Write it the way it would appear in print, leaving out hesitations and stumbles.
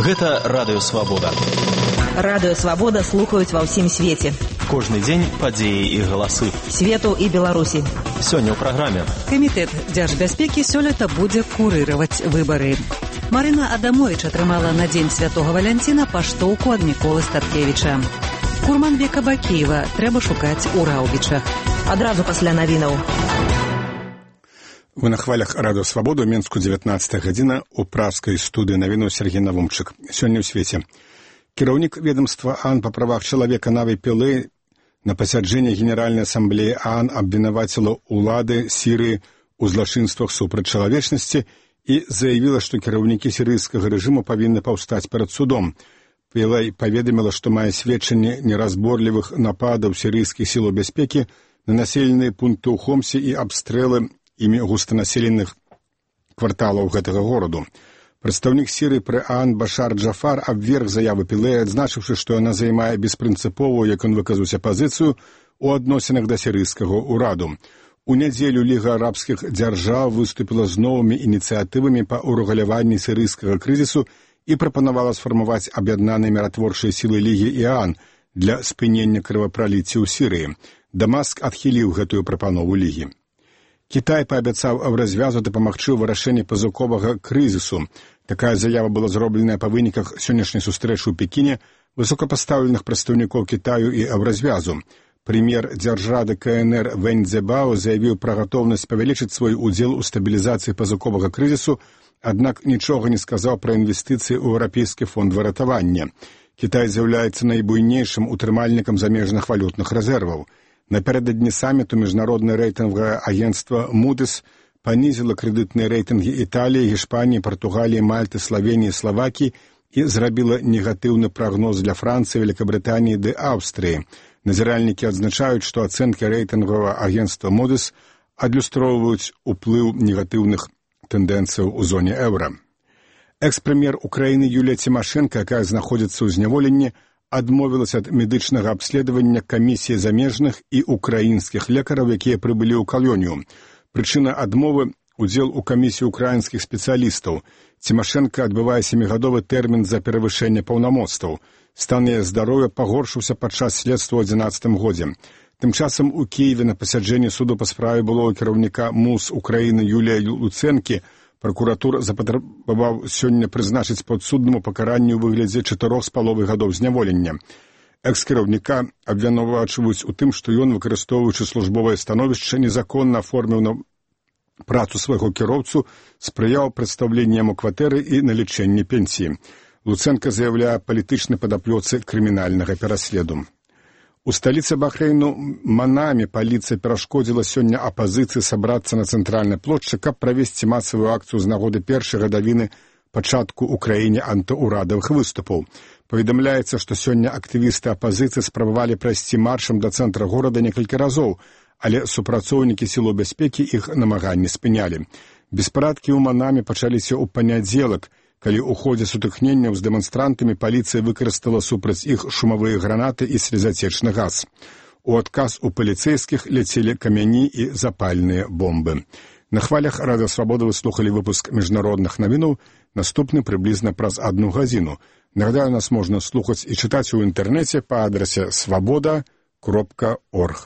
Гэта Радыё Свабода. Радыё Свабода слухаюць ва ўсім свеце. Кожны дзень падзеі і галасы. Свету і Беларусі. Сёння ў праграме. Камітэт дзяржбяспекі сёлета будзе курыраваць выбары. Марына Адамович атрымала на дзень Святога Валянціна паштоўку ад Міколы Статкевіча. Курманбека Бакіева трэба шукаць у Раўбічах. Адразу пасля навінаў. Вы на хвалях Радыё Свабода, у Менску 19 гадзіна, у пражскай студыі навіну Сергей Навумчык. Сёння ў свеце. Кіраўнік ведомства ААН па правах чалавека Наві Пілэй на пасяджэнні Генеральнай асамблеі ААН абвінаваціла ўлады Сірыі ў злачынствах супраць чалавечнасці і заявіла, што кіраўнікі сірыйскага рэжыму павінны паўстаць перад судом. Пілэй паведаміла, што мае сведчанні неразборлівых нападаў сірыйскіх сілаў бяспекі на населеныя пункты ў Хомсе і абстрэлы імі густанаселеных кварталаў гэтага гораду. Прадстаўнік Сірыі пры ААН Башар Джафар абверг заяву Пілэя, адзначыўшы, што яна займае беспрынцыповую, як ён выказаўся, пазіцыю ў адносінах да сірыйскага ўраду. У нядзелю Ліга арабскіх дзяржаў выступіла з новымі ініцыятывамі па ўрэгуляванні сірыйскага крызісу і прапанавала сфармаваць аб'яднаныя міратворчыя сілы Лігі і ААН для спынення крывапраліцця ў Сірыі. Дамаск адхіліў гэтую прапанову Лігі. Кітай паабяцаў развязу дапамагчы ў вырашэнні пазыковага крызісу. Такая заява была зробленая па выніках сённяшняй сустрэчы ў Пекіне высокапастаўленых прадстаўнікоў Кітаю і развязу. Прэм'ер дзяржрады КНР Вэнь Цзэбао заявіў пра гатоўнасць павялічыць свой удзел у стабілізацыі пазыковага крызісу, аднак нічога не сказаў пра інвестыцыі ў Еўрапейскі фонд выратавання. Кітай з'яўляецца найбуйнейшым утрымальнікам замежных валютных рэзерваў. Напярэдадні саміту міжнароднае рэйтынгавае агенцтва Moody's панізіла крэдытныя рэйтынгі Італіі, Гішпаніі, Партугаліі, Мальты, Славеніі, Славакіі і зрабіла негатыўны прагноз для Францыі, Великабрытаніі ды Аўстрыі. Назіральнікі адзначаюць, што ацэнкі рэйтынгавага агенцтва Moody's адлюстроўваюць уплыў негатыўных тэндэнцыяў у зоне еўра. Экс-прэм'ер Украіны Юлія Цімашэнка, якая знаходзіцца ў зняволенні, адмовілася ад медычнага абследавання камісіі замежных і украінскіх лекараў, якія прыбылі ў калонію. Прычына адмовы – удзел у камісіі украінскіх спецыялістаў. Цімашэнка адбывае 7-гадовы тэрмін за перавышэнне паўнамоцтваў. Стан яе здароўя пагоршыўся падчас следства ў 2011 годзе. Тым часам у Кіеве на пасяджэнні суду па справе былого кіраўніка МУС Украіны Юлія Луцэнкі пракуратура запатрабаваў сёння прызначыць падсуднаму пакаранне ў выглядзе 4,5 гадоў зняволення. Экс-кіраўніка абвінавачваюць у тым, што ён, выкарыстоўваючы службовае становішча, незаконна аформіў на працу свайго кіроўцу, спрыяў прадстаўленню яму кватэры і налічэнні пенсіі. Луцэнка заяўляе палітычнай падаплёцы крымінальнага пераследу. У сталіцы Бахрэйну Манаме паліцыя перашкодзіла сёння апазіцыі сабрацца на цэнтральнай плошчы, каб правесці масавую акцыю з нагоды першай гадавіны пачатку ў краіне антыурадавых выступаў. Паведамляецца, што сёння актывісты апазіцыі спрабавалі прайсці маршам да цэнтра горада некалькі разоў, але супрацоўнікі сілаў бяспекі іх намаганні спынялі. Беспарадкі ў Манаме пачаліся ў панядзелак, калі ў ходзе сутыкненняў з дэманстрантамі паліцыя выкарыстала супраць іх шумавыя гранаты і слезацечны газ. У адказ у паліцэйскіх ляцелі камяні і запальныя бомбы. На хвалях Радыё Свабода вы слухалі выпуск міжнародных навінаў, наступны прыблізна праз 1 гадзіну. Нагадаю, нас можна слухаць і чытаць у інтэрнэце па адрасе swaboda.org.